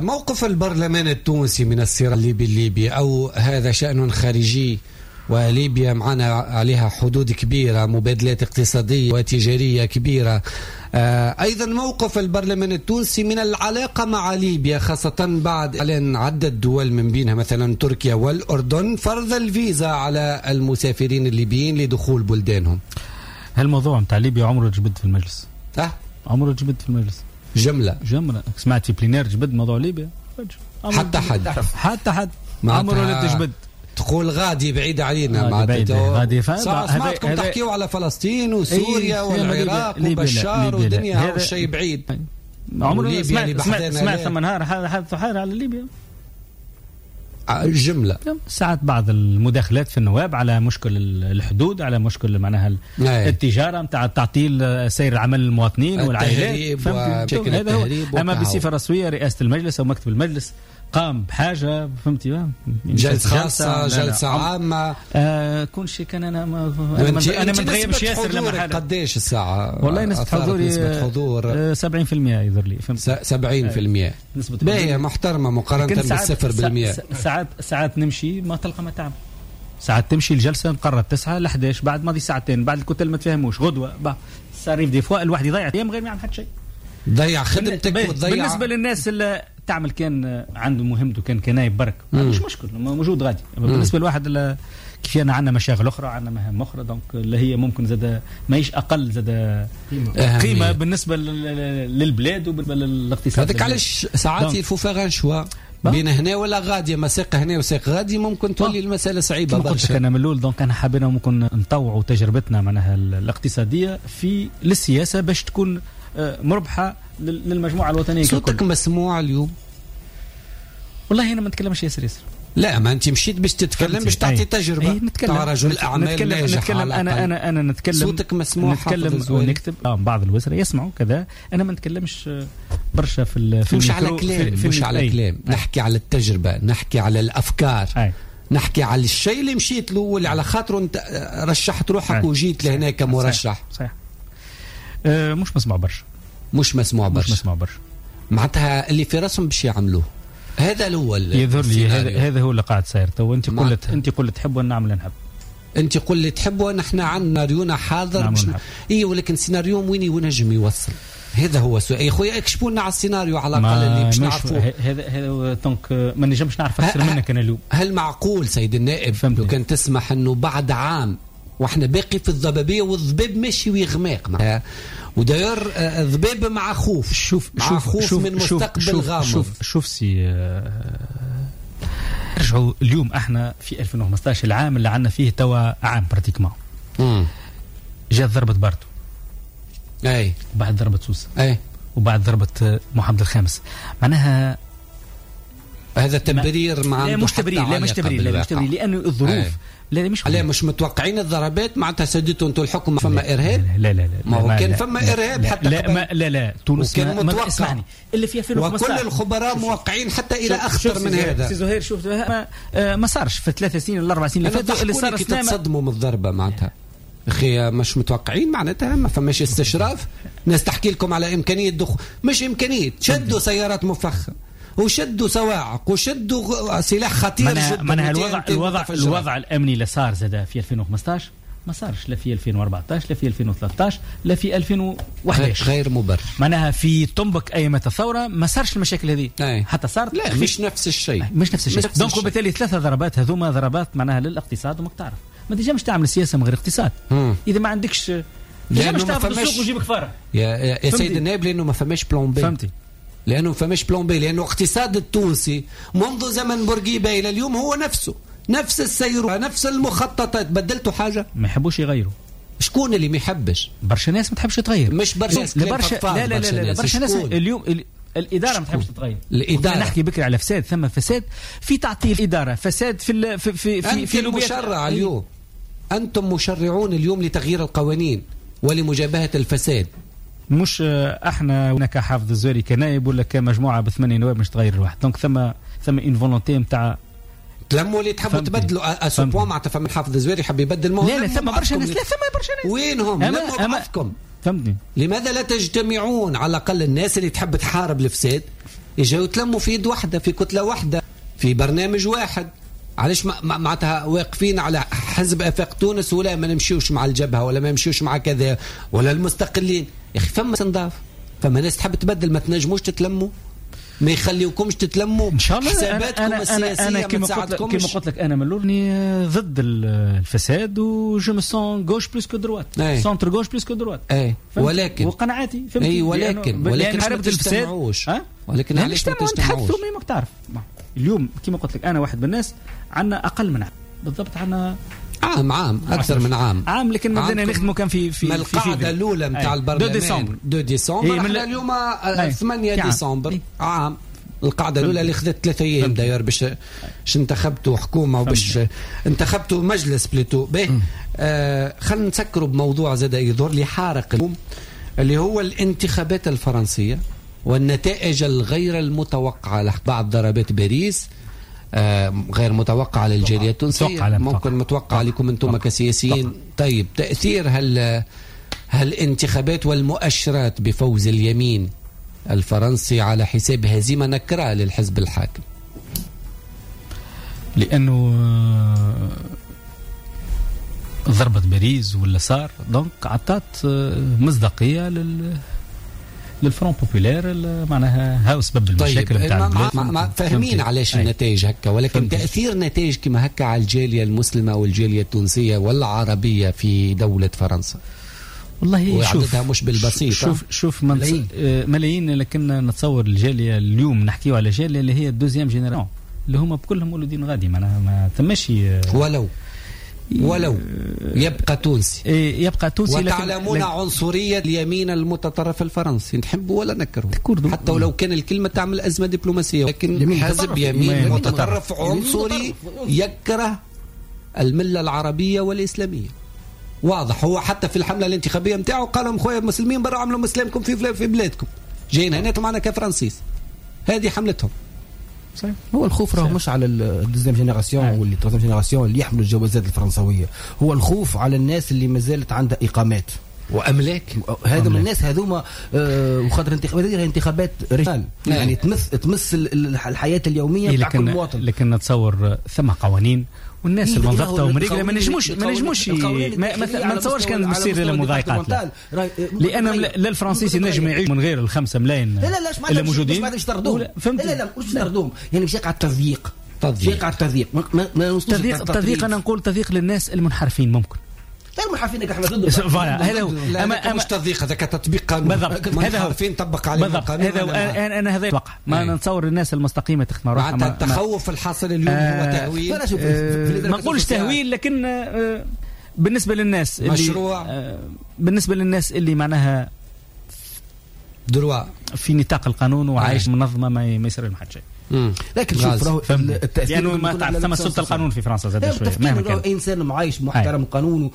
موقف البرلمان التونسي من الصراع الليبي الليبي، أو هذا شأن خارجي وليبيا معنا عليها حدود كبيرة، مبادلات اقتصادية وتجارية كبيرة. أيضا موقف البرلمان التونسي من العلاقة مع ليبيا، خاصة بعد إعلان عدة دول من بينها مثلا تركيا والأردن فرض الفيزا على المسافرين الليبيين لدخول بلدانهم. هالموضوع نتاع ليبيا عمره جبد في المجلس. عمره جبد في المجلس. جملة. سمعت في plénière جبد موضوع ليبيا. حتى حد عمره لا تجبد. تقول غادي بعيد علينا، غادي سمعتكم تحكيوا على فلسطين وسوريا والعراق وبشار والدنيا، والشيء بعيد. عمره سمعت ثم نهار حدث حاجة على ليبيا. جملة. ساعات بعض المداخلات في النواب على مشكل الحدود، على مشكل معناها التجارة نتاع تعطيل سير العمل المواطنين والعائلات، هذا هو. أما بصفة رسمية رئاسة المجلس أو مكتب المجلس قام بحاجة، فهمتي، جلسة خاصة، جلسة عامة، كل شيء كان. أنا ما نتغيبش ياسر لما حالة. قديش الساعة؟ والله نسبة حضوري، نسبة حضور 70% يظهر لي، 70% نسبة باهية محترمة مقارنة بال0%. ساعات نمشي ما تلقى ما تعمل، ساعات تمشي الجلسة نقرر 9 ل 11، بعد ماضي ساعتين، بعد الكتل ما تفهموش غدوة ça arrive des fois الواحد يضيع ايام غير ما يعمل حتى شيء، ضيع خدمتك وتضيع. بالنسبة للناس اللي تعمل كان عنده مهمته كان كنايب برك، مش مشكل موجود غادي. بالنسبة لواحد كيف انا عندنا مشاغل اخرى، عندنا مهام اخرى، donc اللي هي ممكن زاد ماهيش اقل زاد قيمة بالنسبة للبلاد وبالنسبة للاقتصاد. هذاك علاش ساعات il faut faire un choix بين هنا ولا غادي، مساق هنا وساق غادي، ممكن تولي المسالة صعيبة برشا. انا من الاول donc انا حابين ممكن نطوعوا تجربتنا معناها الاقتصادية في للسياسة باش تكون مربحة للمجموعة الوطنية. صوتك مسموع اليوم؟ والله انا ما نتكلمش ياسر. لا، ما انت مشيت باش تتكلم، باش تعطي تجربه تاع رجل اعمال ناجح. نتكلم انا نتكلم، صوتك مسموع، نتكلم ونكتب. بعض الوزراء يسمعوا كذا. انا ما نتكلمش برشا في مش على كلام، مش على كلام، نحكي على التجربة، نحكي على الافكار، نحكي على الشيء اللي مشيت له واللي على خاطره انت رشحت روحك وجيت لهنا كمرشح. صحيح. مش مسموع برشا. مش مسموع برشا. معناتها اللي في راسهم باش يعملوه. هذا هو يظهر لي، هذا هو اللي قاعد صاير تو. انت قلت تحب ونعمل نحب. انت قل اللي تحب ونحن عندنا ريونا حاضر باش اي، ولكن سيناريو وين ينجم يوصل؟ هذا هو السؤال يا خويا. اكشفوا لنا على السيناريو على الاقل اللي باش نعرفوه. هذا donc ما نجمش نعرف اكثر منك انا اليوم. هل معقول سيد النائب لو كان تسمح انه بعد عام واحنا باقي في الضبابيه، والضباب ماشي ويغماق معناها، وداير الضباب مع خوف، شوف مع شوف خوف شوف من شوف مستقبل شوف غامض. شوف سي رجعوا اليوم احنا في 2015، العام اللي عندنا فيه توا عام pratiquement. جات ضربة باردو، اي، وبعد ضربة سوسة، اي، وبعد ضربة محمد الخامس. معناها هذا تبرير ما لا مش تبرير، لا مش تبرير، لا مش تبرير، لانه الظروف لا مش لا مش متوقعين الضربات معناتها سديتوا انتم الحكم فما ارهاب. لا لا لا ما هو كان فما ارهاب حتى لا ما لا لا تونس كان متوقع. اسمعني اللي في 2015 وكل الخبراء موقعين حتى الى اخطر من هذا. سي زهير شوف ما صارش في 3 سنين ولا 4 سنين اللي فاتوا اللي صار. كي تتصدموا من الضربة معناتها اخي مش متوقعين معناتها ما فماش استشراف. ناس تحكي لكم على امكانية دخول، مش امكانية، شدوا سيارات مفخخه وشدوا صواعق وشدوا سلاح خطير جدا. معناها الوضع الامني اللي صار زاد في 2015 ما صارش لا في 2014 لا في 2013 لا في 2011، غير مبرر. معناها في طنبك ايامات الثورة ما صارش المشاكل هذه حتى صارت. لا مش نفس الشيء، مش نفس الشيء. donc وبالتالي 3 ضربات هذوما ضربات معناها للاقتصاد. وماك تعرف ما تنجمش تعمل سياسة من غير اقتصاد. اذا ما عندكش لانه ما فماش السوق وجيبك فارغ يا سيد النائب، لانه ما فماش plan B. فهمتي؟ لانه ما فماش plan B، لانه الاقتصاد التونسي منذ زمن بورقيبة الى اليوم هو نفسه، نفس السير، نفس المخططات. بدلتوا حاجة؟ ما يحبوش يغيروا. شكون اللي ما يحبش؟ برشا ناس ما تحبش تغير. مش برشا ناس، برشا لا لا لا, لا برشا ناس اليوم الادارة ما تحبش تتغير. الادارة نحكي بكري على فساد، ثم فساد في تعطيل الادارة، فساد في في في في المشرع اليوم. انتم مشرعون اليوم لتغيير القوانين ولمجابهه الفساد. مش احنا هناك حافظ الزواري كنائب ولا كمجموعة ب8 نواب مش تغير الواحد. donc ثم une volonté نتاع تلموا اللي تحبوا تبدلوا à ce point. معناتها فما حافظ الزواري يحب يبدل. ما لا لا ثم برشا ناس، لا ثم برشا ناس. وينهم؟ لموا بعضكم. فهمتني؟ لماذا لا تجتمعون؟ على الاقل الناس اللي تحب تحارب الفساد يجوا يتلموا في يد واحدة، في كتلة واحدة، في برنامج واحد. علاش معناتها واقفين على حزب افاق تونس ولا ما نمشيوش مع الجبهة ولا ما نمشيوش مع كذا ولا المستقلين؟ يا اخي فما نضاف، فما ناس تحب تبدل، ما تنجموش تتلموا، ما يخليوكمش تتلموا. ان شاء الله حساباتكم السياسية أنا كما قلت لك انا من الاول ضد الفساد و je me sens gauche plus que droite، centre gauche plus que droite. اي ولكن وقناعاتي فهمتي. اي ولكن ما تجتمعوش. ولكن علاش ما تجتمعوش؟ ما تعرف اليوم كما قلت لك انا واحد من الناس عندنا اقل من عام بالضبط، عندنا عام اكثر من عام، لكن بدنا نخدموا كان في في القاعدة الاولى نتاع البرلمان 2 ديسمبر. احنا اليوم 8 ديسمبر. عام القاعدة الاولى اللي خذت 3 ايام داير باش انتخبتوا حكومة وباش انتخبتوا مجلس plutôt. به خلينا نسكروا بموضوع زاد يظهر لي حارق اليوم، اللي هو الانتخابات الفرنسية والنتائج الغير المتوقعة بعد ضربات باريس. غير متوقعة للجالية التونسية، ممكن متوقعة لكم أنتم كسياسيين. طيب تأثير هالانتخابات والمؤشرات بفوز اليمين الفرنسي على حساب هزيمة نكرة للحزب الحاكم؟ لأنه ضربة باريس ولا صار donc عطات مصداقية لل Front populaire، معناها هاو سبب المشاكل نتاع البلاد. فاهمين علاش النتائج هكا، ولكن تاثير نتائج كما هكا على الجالية المسلمة والجاليه التونسية والعربية في دولة فرنسا والله وعددها مش بالبسيط. شوف ملايين، لكن نتصور الجالية اليوم نحكيو على جالية اللي هي ال deuxième génération اللي هما بكلهم مولودين غادي، معناها ما ثماش ولو يبقى تونسي. يبقى تونسي. وتعلمون عنصرية اليمين المتطرف الفرنسي، نحبه ولا نكرهه، حتى ولو كان الكلمة تعمل أزمة دبلوماسية، لكن حزب يمين متطرف عنصري يكره الملة العربية والإسلامية. واضح، هو حتى في الحملة الانتخابية متاعه قال لهم خويا المسلمين برا عملوا مسلمكم في بلادكم، جايين هنا معنا كفرنسيس. هذه حملتهم. صحيح. هو الخوف راه مش على ال deuxième génération واللي troisième génération اللي يحملوا الجوازات الفرنسويه، هو الخوف على الناس اللي ما زالت عندها اقامات واملاك. هذا من الناس هذوما وخاطر انتخابات انتخابات رجال يعني تمس الحياة اليومية بتاع كل مواطن. لكن نتصور ثم قوانين والناس المنضبطه ومريقله ما نجموش ما نتصورش كان بتصير المضايقات، لان لا الفرنسيس ينجم يعيش من غير ال5 ملايين لا لا اللي موجودين. مش طردوهم. لا لا مش طردوهم، يعني مش يقع التضييق. تضييق على التضييق، ما تضييق. انا نقول تضييق للناس المنحرفين ممكن. غير منحرفين احنا ضد voilà هذا هو. اما مش تضييق، هذاك تطبيق قانون. بالضبط، منحرفين طبق عليهم القانون. هذا انا هذا يتوقع ما نتصور الناس المستقيمة تخدم روحها. معناتها التخوف الحاصل اليوم هو تهويل. ما نقولش تهويل، لكن بالنسبة للناس مشروع بالنسبة للناس اللي معناها droit في نطاق القانون وعايش منظمة ما يصير لهم حتى شيء. لكن شوف راهو التاثير لانه ما تعرف ثم سلطة القانون في فرنسا زاد شوية. مهما كان انسان معايش محترم قانونه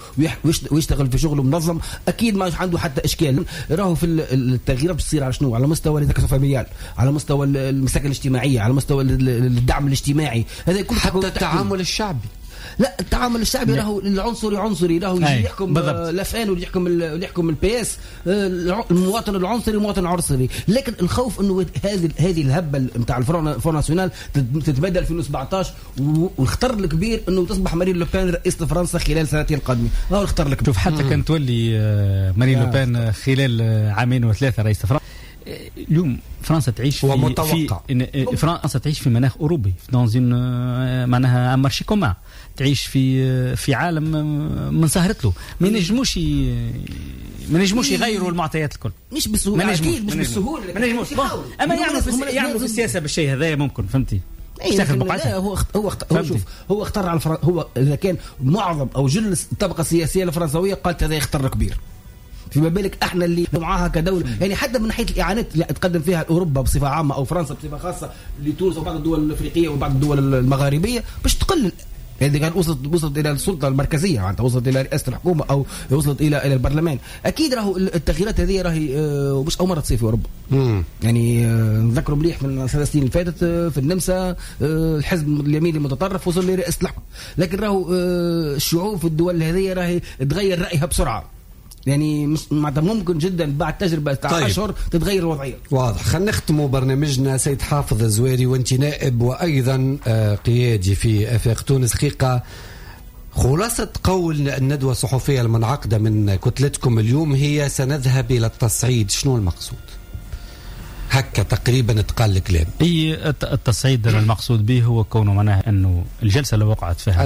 ويشتغل في شغله منظم اكيد ما عنده حتى اشكال. راهو في التغييرات بتصير على شنو؟ على مستوى ال familial، على مستوى المساكن الاجتماعية، على مستوى الدعم الاجتماعي، هذا كله حتى التعامل الشعبي. لا التعامل الشعبي راهو العنصري عنصري، راهو يجي يحكم l'FN واللي يحكم ال PS، المواطن العنصري مواطن عنصري. لكن الخوف انه هذه الهبة نتاع ال Front National تتبدل في 2017، والخطر الكبير انه تصبح مارين لوبان رئيسة فرنسا خلال سنتين القادمة. هو الخطر الكبير. شوف حتى كان تولي مارين لوبان خلال عامين وثلاثة رئيسة فرنسا. اليوم فرنسا تعيش في فرنسا تعيش في مناخ اوروبي، dans un معناها un marché commun، تعيش في عالم من سهرت له. ما نجموش يغيروا المعطيات الكل، مش بالسهولة، اكيد مش بالسهولة، ما نجموش. اما يعملوا في السياسة بالشيء هذا ممكن، فهمتي؟ لا هو شوف هو اختار على هو اذا كان معظم او جل الطبقة السياسية الفرنسويه قالت هذا اختر كبير، فيما بالك احنا اللي معاها كدولة. يعني حتى من ناحية الاعانات اللي تقدم فيها اوروبا بصفة عامة او فرنسا بصفة خاصة لتونس وبعض الدول الافريقية وبعض الدول المغاربية باش تقلل. يعني كان وصلت الى السلطة المركزية، يعني وصلت الى رئاسة الحكومة او وصلت الى البرلمان. اكيد راهو التغييرات هذه راهي مش اول مرة تصير في اوروبا. يعني نذكروا مليح من 3 سنين اللي فاتت في النمسا الحزب اليميني المتطرف وصل لرئاسة الحكومة. لكن راهو الشعوب في الدول هذه راهي تغير رايها بسرعة. يعني ممكن جدا بعد تجربة تاع أشهر تتغير الوضعية. واضح. خلينا نختموا برنامجنا سيد حافظ الزواري، وانت نائب وأيضا قيادي في آفاق تونس. حقيقة خلاصة قول الندوة الصحفية المنعقدة من كتلتكم اليوم هي سنذهب إلى التصعيد، شنو المقصود؟ هكا تقريبا تقال الكلام. اي التصعيد المقصود به هو كونه معناها انه الجلسة اللي وقعت فيها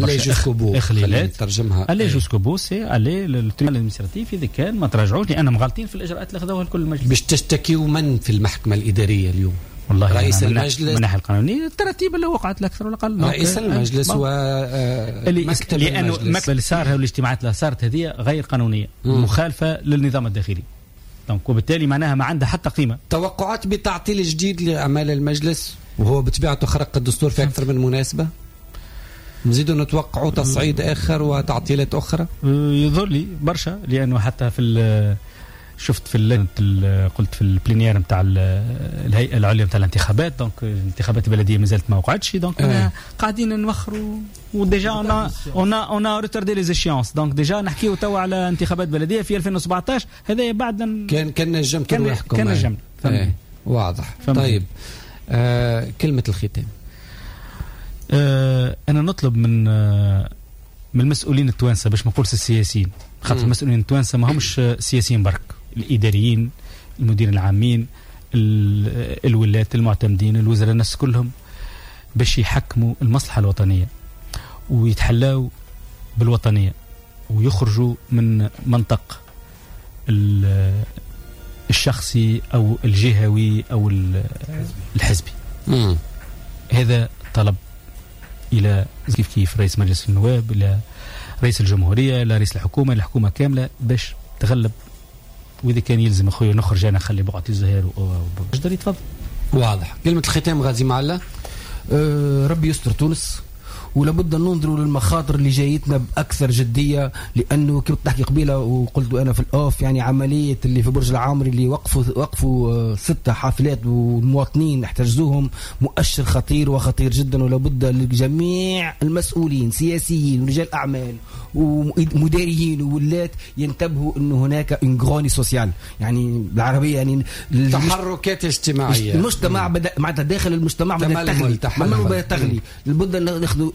اخلالات ترجمها aller jusqu'au bout، c'est aller لل tribunal administratif اذا كان ما تراجعوش لانهم غالطين في الاجراءات اللي خذوها الكل المجلس. باش تشتكيوا من في المحكمة الادارية اليوم؟ والله رئيس المجلس من الناحية القانونية التراتيب اللي وقعت الاكثر ولا الاقل رئيس المجلس ومكتب لانه المكتب اللي صار والاجتماعات اللي صارت هذه غير قانونية، مخالفة للنظام الداخلي، donc وبالتالي معناها ما عندها حتى قيمة. توقعات بتعطيل جديد لأعمال المجلس وهو بطبيعته خرق الدستور في أكثر من مناسبة، نزيدوا نتوقعوا تصعيد آخر وتعطيلات أخرى؟ يظهر لي برشا، لأنه حتى في شفت في قلت في ال plénière نتاع الهيئة العليا نتاع الانتخابات، donc الانتخابات البلدية مازالت ما وقعتش، donc قاعدين نوخروا و déjà on a retardé les échéances، donc déjà نحكيو توا على انتخابات بلديه في 2017. هذا بعد كان نجمت روحكم، كان نجمت. واضح. طيب كلمة الختام. انا نطلب من المسؤولين التوانسة، باش ما نقولش السياسيين، خاطر المسؤولين التوانسة ما همش سياسيين برك، الإداريين، المديرين العامين، الولاة، المعتمدين، الوزراء، الناس كلهم باش يحكموا المصلحة الوطنية ويتحلاو بالوطنية ويخرجوا من منطق الشخصي أو الجهوي أو الحزبي. هذا طلب إلى كيف رئيس مجلس النواب، إلى رئيس الجمهورية، إلى رئيس الحكومة، الحكومة كاملة باش تغلب. وإذا كان يلزم أخويا نخرج أنا نخلي بقعتي الزهير وجدر يتفضل. واضح. كلمة الختام غازي معلا. ربي يستر تونس، ولابد أن ننظروا للمخاطر اللي جايتنا بأكثر جدية، لأنه كنت تحكي قبيلة وقلت أنا في الأوف، يعني عملية اللي في برج العامري اللي وقفوا 6 حافلات والمواطنين احتجزوهم، مؤشر خطير وخطير جدا. ولابد لجميع المسؤولين سياسيين ورجال أعمال ومديرين وولاة ينتبهوا أنه هناك une grogne sociale، يعني بالعربية يعني تحركات اجتماعية. المجتمع بدأ معناتها داخل المجتمع بدأ تغلي، بدأ تغلي. لابد أن ناخذ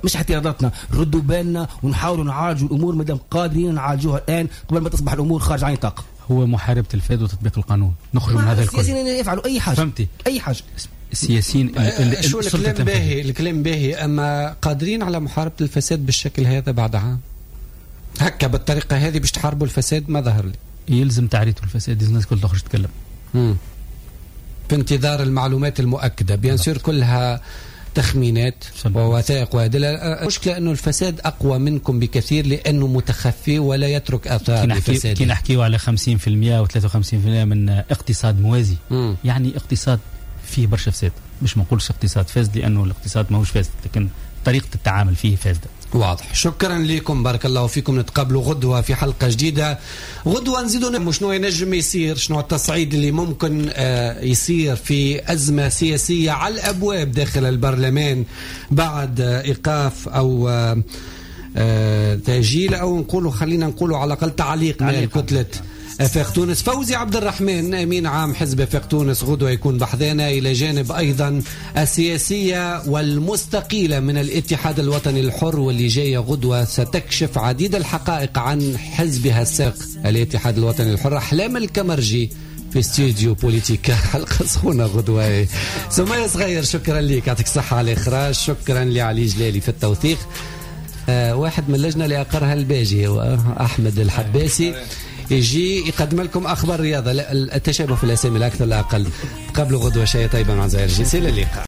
مش احتياطاتنا، ردوا بالنا ونحاولوا نعالجوا الامور مادام قادرين نعالجوها الان قبل ما تصبح الامور خارج عن نطاق. هو محاربة الفساد وتطبيق القانون، نخرج من هذا الكل. السياسيين يفعلوا اي حاجة، فهمتي؟ اي حاجة السياسيين. شو الكلام باهي، الكلام باهي، اما قادرين على محاربة الفساد بالشكل هذا بعد عام؟ هكا بالطريقة هذه باش تحاربوا الفساد؟ ما ظهر لي. يلزم تعريته الفساد، الناس الكل تخرج تتكلم. في انتظار المعلومات المؤكدة، bien sûr كلها تخمينات ووثائق وأدلة. المشكلة أنه الفساد أقوى منكم بكثير لأنه متخفي ولا يترك آثار لفساده. كي نحكيو على 50% و 53% من اقتصاد موازي، يعني اقتصاد فيه برشا فساد، مش ما نقولش اقتصاد فاسد لأنه الاقتصاد ماهوش فاسد، لكن طريقة التعامل فيه فاسدة. واضح. شكرا لكم، بارك الله فيكم. نتقابلوا غدوة في حلقة جديدة. غدوة نزيدوا شنو ينجم يصير، شنو التصعيد اللي ممكن يصير في أزمة سياسية على الأبواب داخل البرلمان بعد إيقاف أو تأجيل، أو نقولوا خلينا نقولوا على الأقل تعليق من كتلة آفاق تونس. فوزي عبد الرحمن أمين عام حزب آفاق تونس غدوة يكون بحذانا، إلى جانب أيضا السياسية والمستقيلة من الاتحاد الوطني الحر، واللي جاية غدوة ستكشف عديد الحقائق عن حزبها السابق الاتحاد الوطني الحر. أحلام الكمرجي في استوديو بوليتيكا، حلقة سخونة غدوة. سمية صغير شكرا لك، يعطيك الصحة على الإخراج. شكرا لعلي جلالي في التوثيق. واحد من اللجنة اللي أقرها الباجي أحمد الحباسي يجي يقدم لكم أخبار رياضة. التشابه في الأسامي لا أكثر لا أقل. تقابلوا غدوة شيء طيبة مع زهير الجنسي. إلى اللقاء.